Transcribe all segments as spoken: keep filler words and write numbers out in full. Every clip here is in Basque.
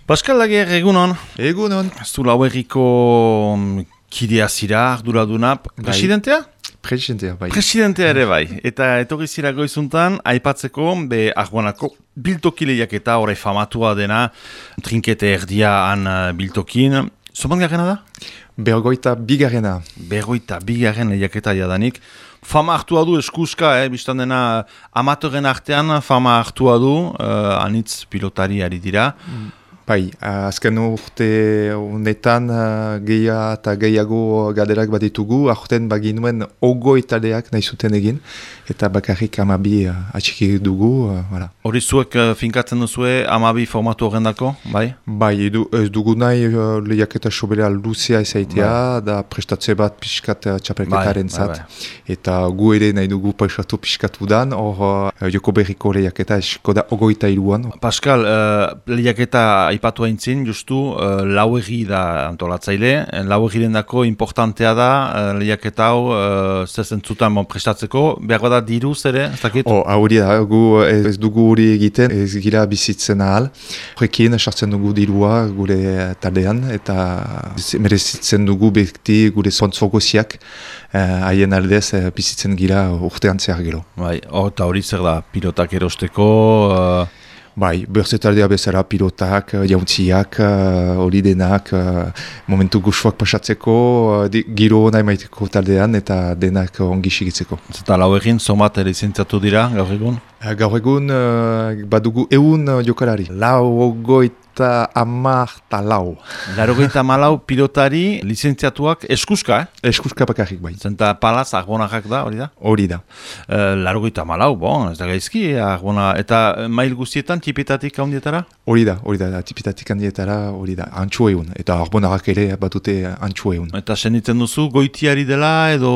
Pascal Lager, egunon. Egunon. Zu lauerriko kidea zira, arduraduna. Presidentea? Presidentea, bai. Presidentea ere bai. Eta etorri zira goizuntan, aipatzeko, be Argonako biltoki lehiaketa, orai famatua dena, trinkete erdia han biltokin. Zoban garrena da? Bergoita bigarrena. Bergoita bigarren lehiaketa jadanik. Fama hartua du eskuska, eh? Bistan dena amatoren artean fama hartua du, uh, anitz pilotari ari dira. Mm. Bai, azken urte honetan gehiago eta gehiago gaderak bat ditugu, aurten baginuen ogoi taldeak nahi zuten egin, eta bakarrik amabi atxiki dugu. Voilà. Hori zuek finkatzen duzue amabi formatu horrendako, bai? Bai, edu, ez dugu nahi lehiaketa sobera luzea ezaitea, bai. Da prestatze bat pixkat txapelketaren bai, zat, bai, bai. Eta gu ere nahi dugu prestatu pixkatu dan, hor joko berriko lehiaketa esko da ogoita iruan. Pascal, uh, lehiaketa aipatu haintzin, justu, uh, lauegi da antolatzaile. Lauegiren dako importantea da uh, lehiaketa hau uh, zezentzutan bon, prestatzeko. Behar da diruz ere, ez dakit? Oh, hori da, gu ez dugu hori egiten, ez gira bizitzen ahal. Horrekin sartzen dugu dirua gure taldean, eta merezitzen dugu bekti gure zontzogoziak haien uh, aldez uh, bizitzen gira urtean zehar gero. Bai, oh, eta hori zer da, pilotak erosteko... Uh... Bai, berzetaldea bezala pilotak, jauntziak, hori uh, denak, uh, momentu gustuak pasatzeko, uh, giro nahi maiteko taldean eta denak ongi sigitzeko. Eta lau egin, somat ere zintzatu dira, gaur egun? Uh, gaur egun, uh, badugu eun uh, jokalari. Lau goit eta amar eta lau. Larogeita malau pilotari lizentziatuak eskuska, eh? Eskuska bakarrik bai. Zenta palaz arbonakak da, hori da? Hori da. Uh, Larogeita malau, bon, ez da gaizki, arbona. Eta mail guztietan tipetatik handietara? Hori da, hori da, tipetatik handietara, hori da, antxo egun. Eta arbonarak ere batute antxo egun. Eta senditzen duzu, goitiari dela edo...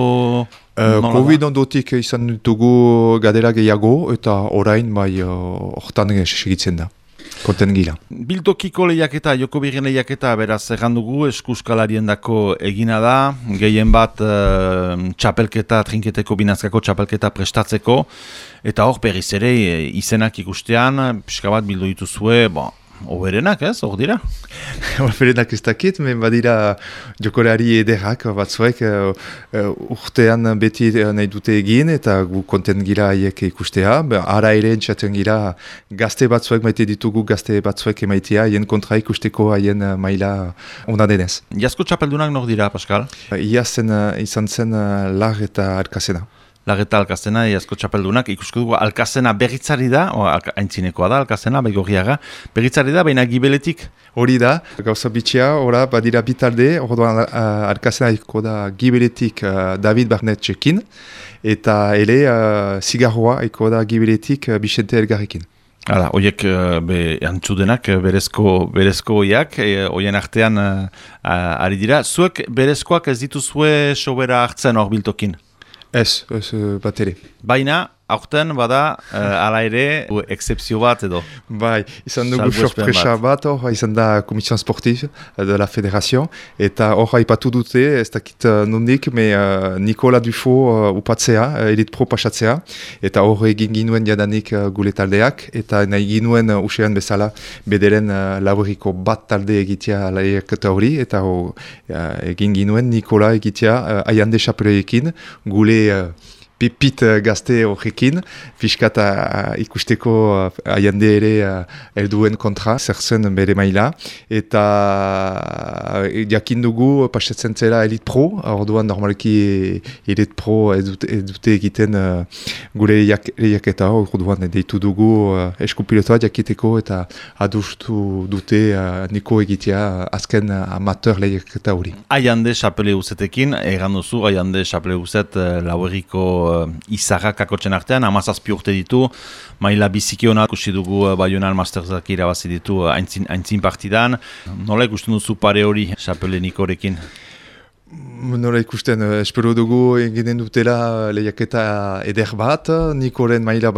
Uh, Covid ondotik izan dugu gadera gehiago, eta orain bai hortan uh, segitzen da. Konten gila. Biltokiko lehiaketa, joko birren lehiaketa, beraz, errandugu, eskuskalarien dako egina da, gehien bat uh, txapelketa, trinketeko binazkako txapelketa prestatzeko, eta hor berriz ere izenak ikustean, pixka bat bildu dituzue, bon, oberenak ez, hor dira? Oberenak ez dakit, men badira jokolari ederrak batzuek uh, uh, urtean beti nahi dute egin eta gu konten gira haiek ikustea. Ara ere entzaten gira gazte batzuek maite ditugu gazte batzuek emaitea, haien kontra ikusteko haien uh, maila ona denez. Iazko txapeldunak nor dira, Pascal? Uh, Iazen uh, izan zen uh, lar eta alkazena. Larreta Alkazena, iazko txapeldunak, ikusko dugu Alkazena berritzari da, haintzinekoa da Alkazena, baigorriaga, berritzari da, baina gibeletik? Hori da, gauza bitxia, ora, badira bitalde, orduan uh, Alkazena iko da gibeletik uh, David Barnetxekin, eta ere uh, Zigarroa iko da gibeletik uh, Bixente Elgarrekin. Hala, oiek be, antzudenak, berezko, berezko oiak, e, oien artean uh, ari dira. Zuek berezkoak ez dituzue sobera hartzen hor biltokin? Ez, ez bat ere. Baina, aurten bada, uh, ala ere, excepzio bat edo. Bai, izan dugu sorpresa bat, hor, izan da Komision Sportif de la Federazio, eta hor haipatu dute, ez dakit nondik, me uh, Nikola Dufo uh, upatzea, uh, Elite Pro pasatzea, eta hor egin ginuen jadanik uh, gule taldeak, eta nahi ginuen uh, usean bezala bederen uh, laburiko bat talde egitea lehiaketa hori, eta hor uh, egin ginuen Nikola egitea uh, Aiande Chapeloekin, gule uh, pipit uh, gazte horrekin, fiskat uh, ikusteko uh, aiande ere uh, elduen kontra, zerzen bere maila, eta uh, jakin dugu pasatzen zela Elite Pro, orduan normalki Elite Pro ez dute, ez dute egiten uh, gure lehiaketa, orduan deitu dugu uh, eskupilotoa jakiteko eta adustu dute uh, niko egitea uh, azken uh, amateur lehiaketa hori. Aiande Chapeleuzetekin, egan duzu, Aiande Chapeleuzet uh, laueriko uh, izarrak akotzen artean, amazazpi urte ditu, maila biziki hona ikusi dugu uh, Bayonal Masterzak irabazi ditu uh, aintzin, aintzin partidan. Nola ikusten duzu pare hori Chapele Nikorekin? Nola ikusten, uh, espero dugu eginen dutela lehiaketa eder bat, Nikoren maila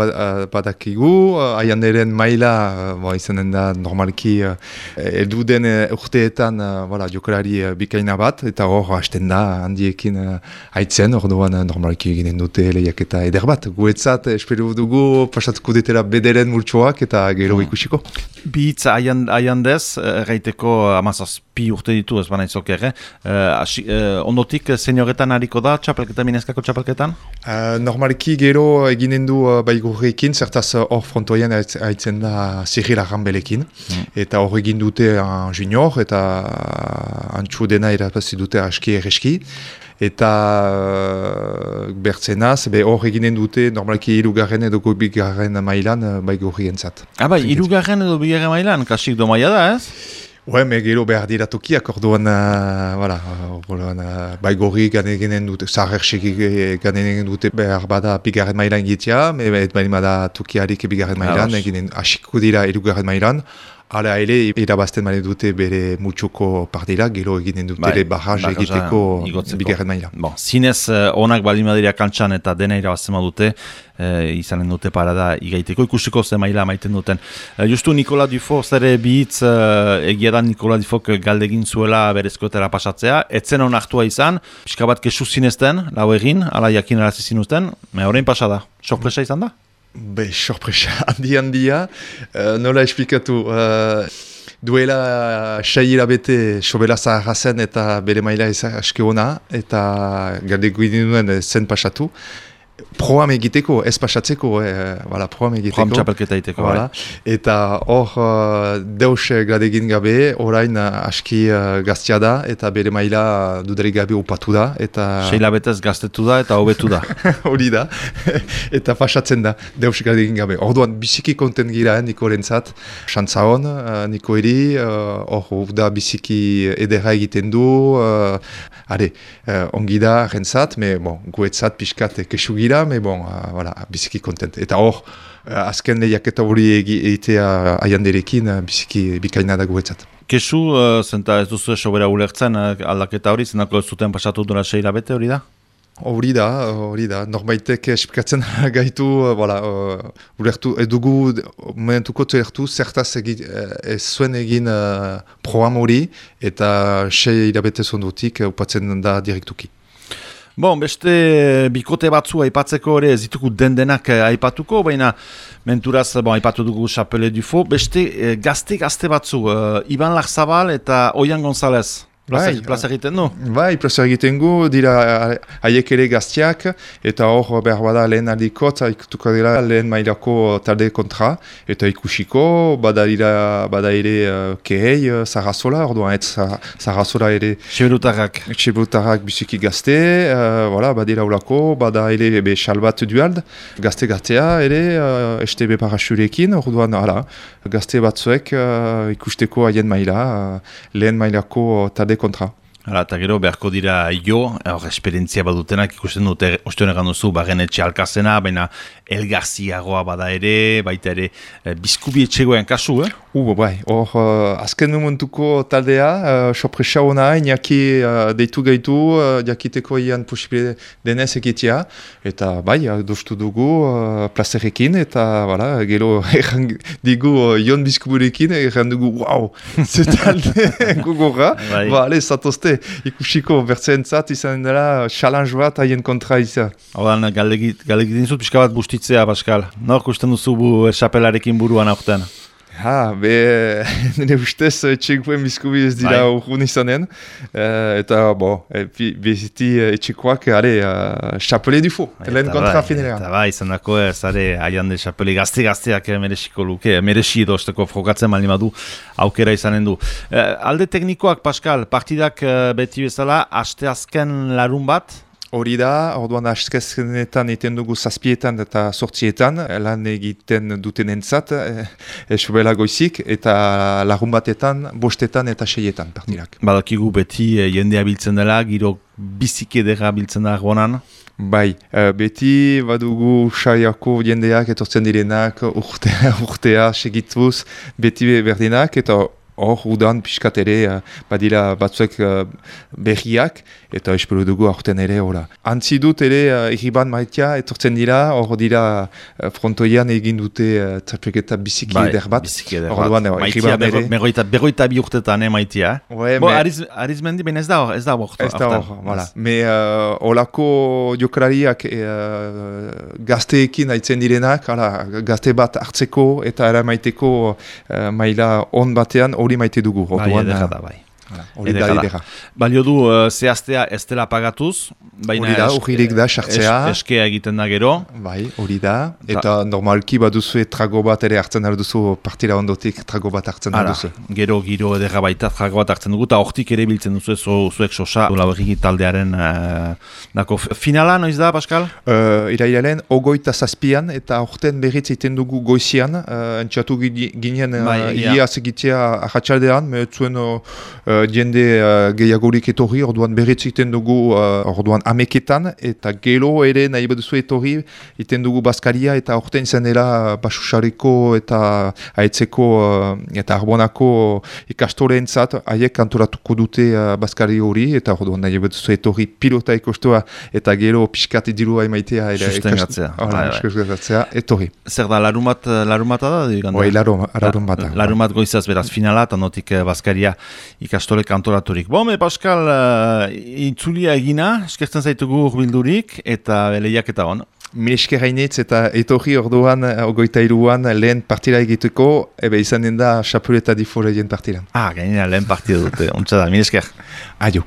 badakigu, uh, Aianderen maila uh, izanen da normalki uh, eldu den uh, urteetan uh, voilà, jokalari uh, bikaina bat, eta hor hasten da handiekin uh, haitzen, orduan uh, normalki eginen dute lehiaketa eder bat. Guetzat, espero dugu pasatuko detela bederen multsoak eta gero ikusiko. Bihitz aiandez, erraiteko amazazpi urte ditu, ez baina izok ere. Uh, uh, ondotik, senioretan hariko da, txapelketan, minezkako txapelketan? Uh, normalki gero eginen du uh, baigurrekin, zertaz hor frontoien haitzen da Cyril Arrambelekin. Mm. Eta hor egin dute uh, junior, eta antxu dena erapazi dute aski erreski. Eta uh, bertzenaz, hor eginen dute normalki irugarren edo bigarren mailan uh, baigurrien zat. Ah, bai, irugarren edo bigarren mailan, kasik do maia da, ez? Ue, me gero behar dira tokiak, orduan, uh, voilà, orduan, uh, baigorri gane eginen dute, zaherxek gane eginen dute, behar bada bigarren mailan egitea, et baina bada tokiarik bigarren mailan, eginen asiko dira irugarren mailan. Hala ere, irabazten mani dute bere mutxoko partida, gero eginen dute bai, barraj egiteko bigarren maila. Bon, zinez, onak baldin badira kantxan eta dena irabazten dute, eh, izanen dute parada igaiteko, ikusteko ze maila maiten duten. Eh, justu Nikola Dufo, zere bihitz, eh, egia da Nikola Dufok galdegin zuela berezkoetara pasatzea, etzen onartua izan, pixka bat kesu zinezten, lau egin, ala jakin arazi zinuzten, me horrein pasada, sorpresa izan da? Be, sorpresa, handi handia, uh, nola esplikatu, uh, duela sei hilabete sobera zaharra zen eta bere maila aske ona, eta galdeko idinuen zen pasatu. Proam egiteko, ez pasatzeko, eh, voilà, proam egiteko. Proam txapelketa egiteko, voilà. Eta hor uh, deus gradegin gabe, orain uh, aski uh, gaztia da, eta bere maila dudarik gabe upatu da. Eta... Seila betez gaztetu da eta hobetu da. Hori da, eta pasatzen da, deus gradegin gabe. Orduan, biziki konten gira, eh, Niko rentzat, xantza hon, uh, Niko eri, hor uh, da biziki edera egiten du, uh, are, uh, ongi da rentzat, me bon, guetzat pixkat kesu gira, mais bon, uh, voilà, biziki kontent. Eta hor, uh, azken lehiaketa hori egitea aianderekin, uh, biziki bikaina da guretzat. Kesu, uh, zenta ez duzu sobera ulertzen uh, aldaketa hori, zenako ez zuten pasatu dura seila bete hori da? Hori da, hori da. Norbaitek esplikatzen gaitu, uh, voilà, uh, ulertu, edugu momentuko zertu, zertaz egin, ez zuen egin uh, program hori, eta sei hilabete zondutik uh, upatzen da direktuki. Bon, beste bikote batzu aipatzeko ere ez ditugu den-denak aipatuko, baina menturaz bon, aipatu dugu Chapelle Dufo, beste eh, gazte-gazte batzu, uh, Iban Larzabal eta Oian González. Plaza egiten du? Bai, plaza egiten gu, dira haiek ere gaztiak, eta hor behar bada lehen aldikot, ikutuko dira lehen mailako talde kontra, eta ikusiko, bada dira, bada ere uh, kehei, uh, Sarrazola, orduan ez Sarrazola ere... Txiberutarrak. Txiberutarrak biziki gazte, uh, voilà, badira ulako, bada ere be Xalbat Duald, gazte-gaztea ere, uh, S T B Parasurekin, orduan, hala, gazte batzuek uh, ikusteko haien maila, uh, lehen mailako talde kontra. Hala, eta gero beharko dira jo, hor esperientzia badutenak ikusten dute, ostion egan duzu, bagen etxe alkazena, baina elgarziagoa bada ere, baita ere, e, bizkubi etxegoen kasu, eh? Uh, bai, hor, uh, azken momentuko taldea, uh, sorpresa hona, inaki uh, deitu gaitu, uh, jakiteko ian posibile denez egitea, eta bai, doztu dugu uh, plazerekin, eta voilà, gero erran digu uh, Jon Bizkuburekin, erran dugu, wow, ze talde gogorra, bai, ba, ale, zatozte, ikusiko bertzentzat izan dela challenge bat haien kontra izan. Hordan, galdegiten zut pixka bat bustitzea, Pascal. Nor kusten duzu bu Chapelarekin buruan aurten? Ha, be, nire ustez etxekoen bizkubi ez dira urgun izanen. Uh, eta, bo, beziti etxekoak, are, uh, Chapelle Dufo, lehen kontra finera. Eta bai, izan dako ez, are, aian de Chapelle gazte-gazteak merexiko luke, merexi dozteko frogatzen mali madu aukera izanen du. Uh, alde teknikoak, Pascal, partidak uh, beti bezala, aste azken larun bat? Hori da, orduan askezkenetan egiten dugu zazpietan eta sortzietan, lan egiten duten entzat, esobela goizik, eta lagun batetan, bostetan eta seietan partidak. Badakigu beti jendea biltzen dela, giro biziki edera biltzen da gonan? Bai, beti badugu saiako jendeak etortzen direnak urtea, urtea segituz, beti berdinak, eta hor udan pixkat ere badira batzuek uh, berriak, eta espero dugu aurten ere hola. Antzi dut ere uh, Irriban maitea etortzen dira, hor dira uh, frontoian egin dute uh, txapelketa biziki bai, eder bat. Biziki eder bat. Orduan, maitea berroita, berroita bi urtetan, eh, maitea. Ouais, Bo, me... Ariz, Arizmendi ben ez da hor, ez da hor. Ez da hor, voilà. Me uh, olako jokalariak uh, gazteekin haitzen direnak, hala, gazte bat hartzeko eta eramaiteko uh, maila on batean hori maite dugu. Bai, edera da, bai. Hori da edera. Balio du uh, zehaztea ez dela pagatuz. Hori da, urririk da, sartzea. Es, eskea egiten da gero. Bai, hori da. Eta da. Normalki baduzu trago bat ere hartzen duzu partira ondotik trago bat hartzen duzu. Gero giro edera baita trago bat hartzen dugu, eta hortik ere biltzen duzu zu, zuek sosa lauerriki taldearen uh, dako. Finala, noiz da, Pascal? Uh, Irailaren, ogoita zazpian, eta horten berriz egiten dugu goizian, uh, entxatu ginen uh, bai, ia segitea ahatsaldean, me zuen uh, jende uh, gehiagorik etorri, orduan berriz egiten dugu, uh, orduan ameketan, eta gelo ere nahi baduzu etorri, egiten dugu Baskaria, eta orten izan dela Basusareko eta Aitzeko uh, eta Arbonako ikastoreentzat haiek kantoratuko dute uh, Baskari hori, eta orduan nahi baduzu etorri pilota ikostoa, eta gelo pixkat dirua emaitea. Sustengatzea. Sustengatzea, etorri. Zer da, larumat, larumata da? Oi, larumat. Larumat goizaz beraz finala, eta notik Baskaria ikastore kantoraturik. Bon, me Pascal, uh, itzulia egina, eskertzen zaitugu urbildurik, eta lehiak eta hon. Mil esker hainitz eta etorri orduan, ogoita iruan, lehen partida egiteko, ebe izan den da Chapeleta di Foreien partidan. Ah, gainera lehen partida dute, ontsa da, mil esker. Aio.